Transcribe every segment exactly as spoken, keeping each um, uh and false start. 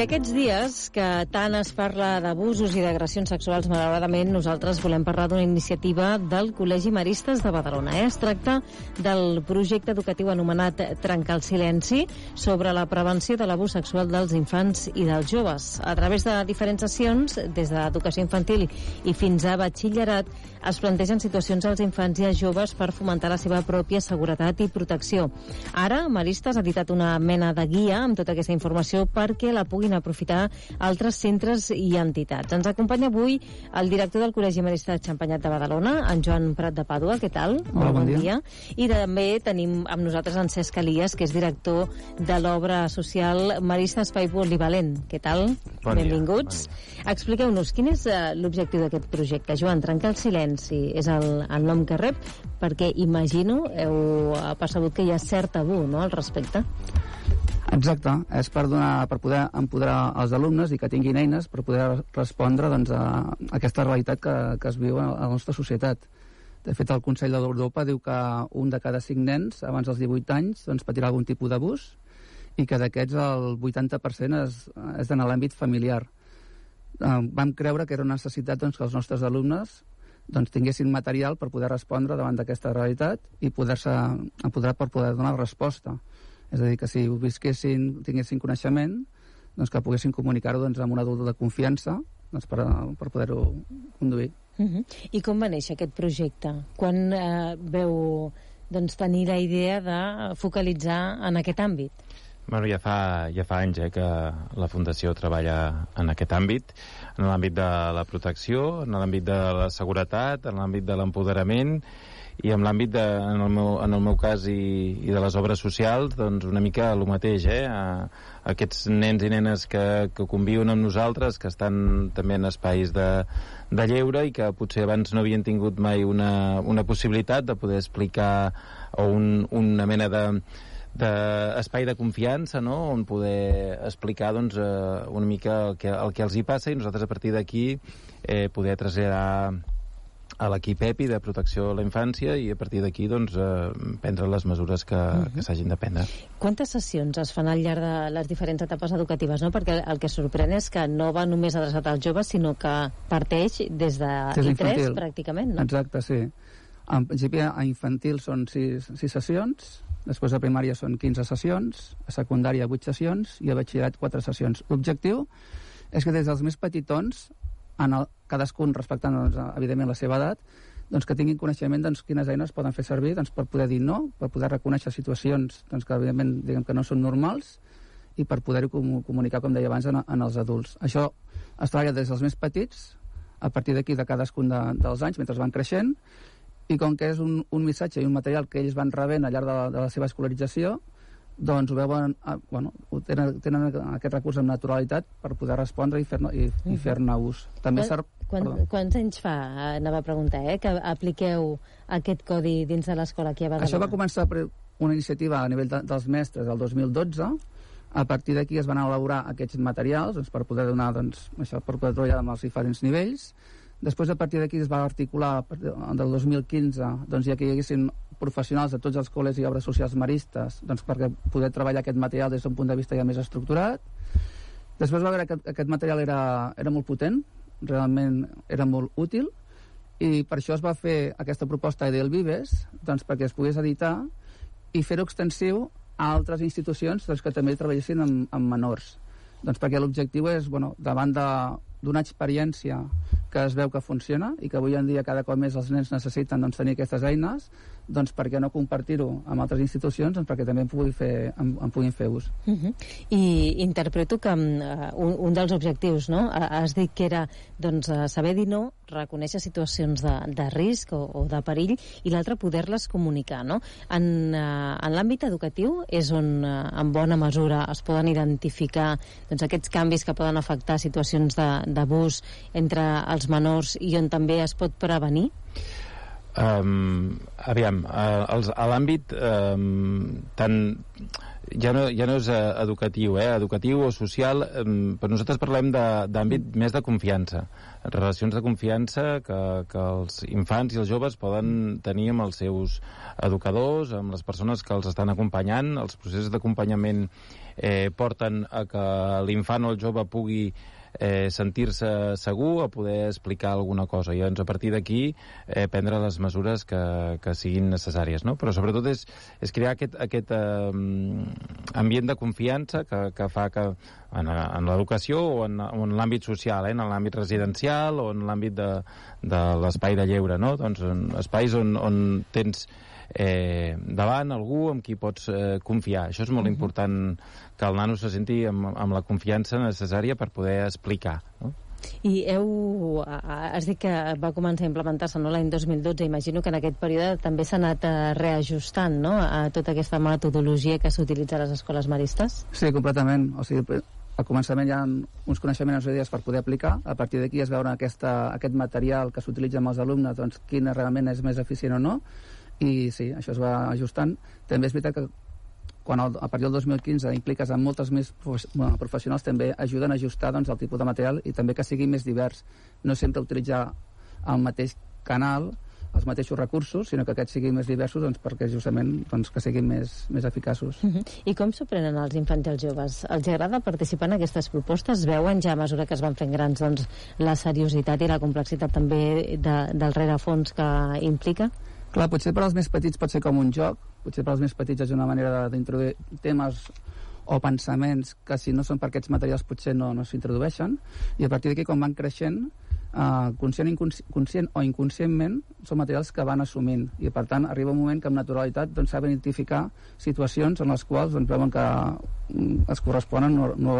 aquests dies que tant es parla d'abusos i d'agressions sexuals, malauradament nosaltres volem parlar d'una iniciativa del Col·legi Maristes de Badalona. Eh? Es tracta del projecte educatiu anomenat Trencar el silenci sobre la prevenció de l'abús sexual dels infants i dels joves. A través de diferents sessions, des d'educació infantil i fins a batxillerat, es plantegen situacions als infants i als joves per fomentar la seva pròpia seguretat i protecció. Ara, Maristes ha editat una mena de guia amb tota aquesta informació perquè la puguin aprofitar altres centres i entitats. Ens acompanya avui el director del Col·legi Maristes de Xampanyat de Badalona, en Joan Prat de Pàdua. Què tal? Hola, bon, bon dia. dia. I també tenim amb nosaltres en Cesc Elias, que és director de l'obra social Maristes Espai Polivalent. Què tal? Bon Benvinguts. Dia. Bon dia. Expliqueu-nos, quin és uh, l'objectiu d'aquest projecte? Joan, Trencar el silenci és el, el nom que rep, perquè imagino heu percebut que hi ha cert tabú, no?, al respecte. Exacte, és per, donar, per poder empoderar els alumnes i que tinguin eines per poder respondre doncs, a aquesta realitat que, que es viu a la nostra societat. De fet, el Consell d'Europa diu que un de cada cinc nens abans dels divuit anys doncs, patirà algun tipus d'abús i que d'aquests el vuitanta per cent és, és en l'àmbit familiar. Eh, vam creure que era una necessitat doncs, que els nostres alumnes doncs, tinguessin material per poder respondre davant d'aquesta realitat i poder-se empoderar per poder donar resposta. És a dir, que si ho visquessin, tinguessin coneixement, doncs que poguessin comunicar-ho doncs, amb un adult de confiança doncs, per, per poder-ho conduir. Uh-huh. I com va néixer aquest projecte? Quan eh, veu doncs, tenir la idea de focalitzar en aquest àmbit? Bueno, ja fa, ja fa anys eh, que la Fundació treballa en aquest àmbit, en l'àmbit de la protecció, en l'àmbit de la seguretat, en l'àmbit de l'empoderament i en l'àmbit, de, en, el meu, en el meu cas i, i de les obres socials, doncs una mica el mateix, eh? A, a aquests nens i nenes que, que conviuen amb nosaltres, que estan també en espais de, de lleure i que potser abans no havien tingut mai una, una possibilitat de poder explicar o un, una mena de d'espai de confiança, no?, on poder explicar doncs, eh, una mica el que, el que els hi passa i nosaltres a partir d'aquí eh, poder traslladar a l'equip EPI de protecció a la infància i a partir d'aquí doncs, eh, prendre les mesures que, uh-huh. que s'hagin de prendre. Quantes sessions es fan al llarg de les diferents etapes educatives? No? Perquè el que sorprèn és que no va només adreçat als joves, sinó que parteix des de I tres pràcticament, no? Exacte, sí. En principi a infantil són sis, sis sessions, després a primària són quinze sessions, a secundària vuit sessions i a batxillerat quatre sessions. L'objectiu és que des dels més petitons, en el, cadascun respectant doncs, evidentment la seva edat, doncs, que tinguin coneixement doncs, quines eines poden fer servir doncs, per poder dir no, per poder reconèixer situacions doncs, que evidentment diguem que no són normals i per poder-ho com, comunicar, com deia abans, en, en els adults. Això es treballa des dels més petits, a partir d'aquí de cadascun de, dels anys, mentre van creixent, i com que és un, un missatge i un material que ells van rebent al llarg de la, de la seva escolarització, doncs ho veuen, eh, bueno, tenen, tenen aquest recurs amb naturalitat per poder respondre i fer-ne i, i fer-ne ús. També quan, quan, quants anys fa, anava a preguntar, eh, que apliqueu aquest codi dins de l'escola aquí a Badalona? Això va començar per una iniciativa a nivell de, dels mestres el dos mil dotze. A partir d'aquí es van elaborar aquests materials doncs, per poder donar, doncs, això, per poder treballar amb els diferents nivells. Després, a partir d'aquí, es va articular del dos mil quinze, doncs, ja que hi haguessin professionals de tots els col·legis i obres socials maristes, doncs, perquè poder treballar aquest material des d'un punt de vista ja més estructurat. Després va veure que aquest material era, era molt potent, realment era molt útil, i per això es va fer aquesta proposta del Vives, doncs, perquè es pogués editar i fer-ho extensiu a altres institucions doncs, que també treballessin amb, amb menors. Doncs perquè l'objectiu és, bueno, davant de d'una experiència que es veu que funciona i que avui en dia cada cop més els nens necessiten doncs, tenir aquestes eines, doncs per què no compartir-ho amb altres institucions doncs, perquè també en, pugui fer, en, en puguin fer ús. Uh-huh. I interpreto que uh, un, un dels objectius, no? Has dit que era doncs, saber dir no, reconèixer situacions de, de risc o, o de perill i l'altre poder-les comunicar, no? En, uh, en l'àmbit educatiu és on uh, en bona mesura es poden identificar doncs, aquests canvis que poden afectar situacions de d'abús entre els menors i on també es pot prevenir? Um, aviam, uh, els, a l'àmbit um, tant ja no, ja no és uh, educatiu, eh? educatiu o social, um, però nosaltres parlem d'àmbit més de confiança, relacions de confiança que, que els infants i els joves poden tenir amb els seus educadors, amb les persones que els estan acompanyant. Els processos d'acompanyament eh, porten a que l'infant o el jove pugui Eh, sentir-se segur a poder explicar alguna cosa i doncs a partir d'aquí eh, prendre les mesures que, que siguin necessàries, no? Però sobretot és, és crear aquest, aquest eh, ambient de confiança que, que fa que en, en l'educació o en, en l'àmbit social, eh, en l'àmbit residencial o en l'àmbit de, de l'espai de lleure, no? Doncs en espais on, on tens eh, davant algú amb qui pots eh, confiar. Això és molt uh-huh. important, que el nano se senti amb, amb la confiança necessària per poder explicar, no? I heu... has dit que va començar a implementar-se, no, l'any dos mil dotze. Imagino que en aquest període també s'ha anat reajustant, no?, a tota aquesta metodologia que s'utilitza a les escoles maristes? Sí, completament. O sigui, al començament hi ha uns coneixements i idees per poder aplicar. A partir d'aquí es veure aquesta, aquest material que s'utilitza amb els alumnes, doncs quin realment és més eficient o no. I sí, això es va ajustant. També és veritat que quan el, a partir del dos mil quinze impliques amb moltes més bueno, professionals, també ajuden a ajustar doncs, el tipus de material i també que sigui més divers. No sempre utilitzar el mateix canal, els mateixos recursos, sinó que aquests siguin més diversos doncs, perquè justament doncs, que siguin més, més eficaços. Uh-huh. I com s'ho prenen els infants i els joves? Els agrada participar en aquestes propostes? Veuen ja a mesura que es van fent grans doncs, la seriositat i la complexitat també de, del rerefons que implica? Clar, potser per als més petits pot ser com un joc, potser per als més petits és una manera d'introduir temes o pensaments que si no són per aquests materials potser no, no s'introdueixen, i a partir d'aquí quan van creixent, eh, conscient, conscient o inconscientment són materials que van assumint, i per tant arriba un moment que amb naturalitat doncs, saben identificar situacions en les quals doncs, veuen que es corresponen no, no,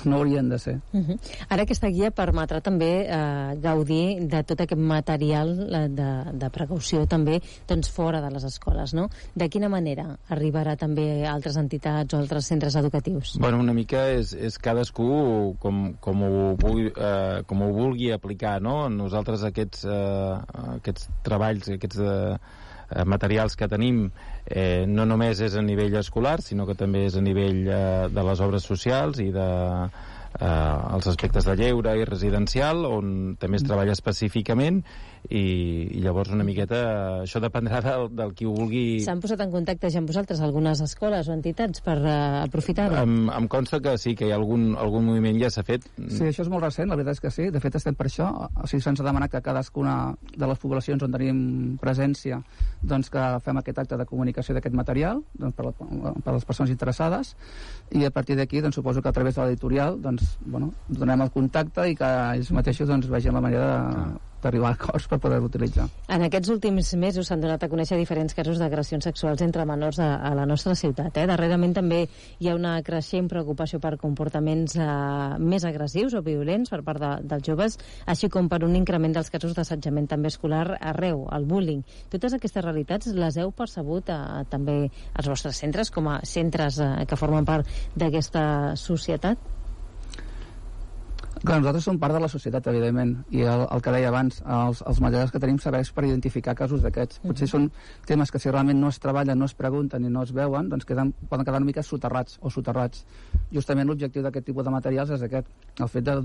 no haurien de ser. Uh-huh. Ara aquesta guia permetrà també eh, gaudir de tot aquest material de, de precaució també doncs, fora de les escoles, no? De quina manera arribarà també a altres entitats o altres centres educatius? Bueno, una mica és, és cadascú com, com, ho vulgui, eh, com ho vulgui aplicar, no? Nosaltres aquests, eh, aquests treballs, aquests eh, materials que tenim eh, no només és a nivell escolar, sinó que també és a nivell eh, de les obres socials i de eh, els aspectes de lleure i residencial, on també es treballa específicament, i, i llavors una miqueta això dependrà del, del qui ho vulgui. S'han posat en contacte ja amb vosaltres algunes escoles o entitats per uh, aprofitar-ho? Em, em consta que sí, que hi ha algun, algun moviment ja s'ha fet. Sí, això és molt recent, la veritat és que sí, de fet estem per això, o sigui, se'ns ha demanat que cadascuna de les poblacions on tenim presència doncs que fem aquest acte de comunicació d'aquest material doncs, per, la, per les persones interessades, i a partir d'aquí doncs, suposo que a través de l'editorial doncs, bueno, donem el contacte i que ells mateixos doncs, vegin la manera de, ah. d'arribar a acords per poder-ho utilitzar. En aquests últims mesos s'han donat a conèixer diferents casos d'agressions sexuals entre menors a, a la nostra ciutat. Eh? Darrerament també hi ha una creixent preocupació per comportaments eh, més agressius o violents per part de, dels joves, així com per un increment dels casos d'assetjament també escolar arreu, el bullying. Totes aquestes realitats les heu percebut eh, també als vostres centres, com a centres eh, que formen part d'aquesta societat? Clar, nosaltres som part de la societat, evidentment, i el, el que deia abans, els, els materials que tenim serveix per identificar casos d'aquests. Potser són temes que si realment no es treballen, no es pregunten i no es veuen, doncs queden, poden quedar una mica soterrats o soterrats. Justament l'objectiu d'aquest tipus de materials és aquest, el fet de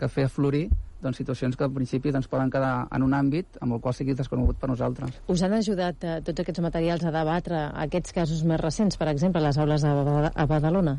que fer aflorir doncs, situacions que al principi doncs, poden quedar en un àmbit amb el qual sigui desconegut per nosaltres. Us han ajudat eh, tots aquests materials a debatre aquests casos més recents, per exemple, a les aules a, a Badalona?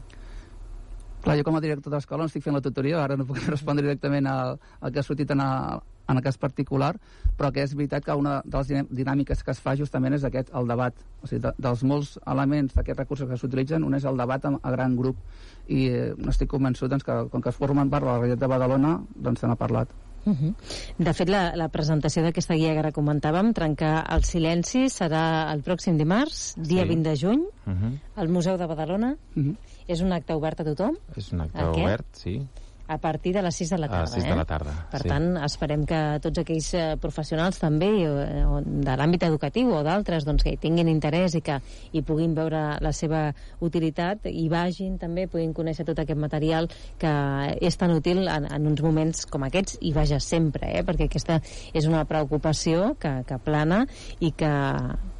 Clar, jo com a director d'escola estic fent la tutoria, ara no puc respondre directament al, al que ha sortit en, a, en el cas particular, però que és veritat que una de les dinàmiques que es fa justament és aquest, el debat. O sigui, de, dels molts elements d'aquests recursos que s'utilitzen, un és el debat a, a gran grup, i eh, estic convençut doncs, que com que es formen part de la realitat de Badalona, doncs se n'ha parlat. Uh -huh. De fet, la, la presentació d'aquesta guia que ara comentàvem, Trencar el silenci, serà el pròxim dimarts, dia sí. vint de juny, uh -huh. al Museu de Badalona. Uh -huh. És un acte obert a tothom? És un acte aquest? obert, sí. a partir de les sis de la tarda. A les sis eh? de la tarda, Per sí. tant, esperem que tots aquells eh, professionals també, eh, o de l'àmbit educatiu o d'altres, doncs, que hi tinguin interès i que hi puguin veure la seva utilitat, i vagin també, puguin conèixer tot aquest material que és tan útil en, en uns moments com aquests, i vaja, sempre, eh? Perquè aquesta és una preocupació que, que plana i que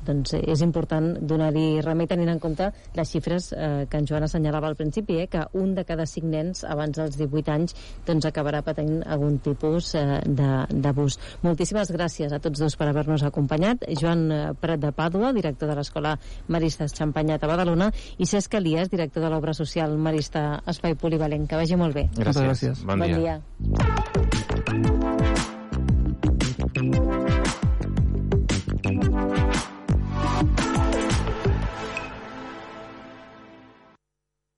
doncs, és important donar-hi remei tenint en compte les xifres eh, que en Joan assenyalava al principi, eh, que un de cada cinc nens abans dels divuit anys doncs, acabarà patint algun tipus eh, d'abús. Moltíssimes gràcies a tots dos per haver-nos acompanyat. Joan Prat de Pàdua, director de l'Escola Maristes Xampanyat a Badalona, i Cesc Elias, director de l'Obra Social Marista Espai Polivalent. Que vagi molt bé. Gràcies. Gràcies. Bon dia. Bon dia.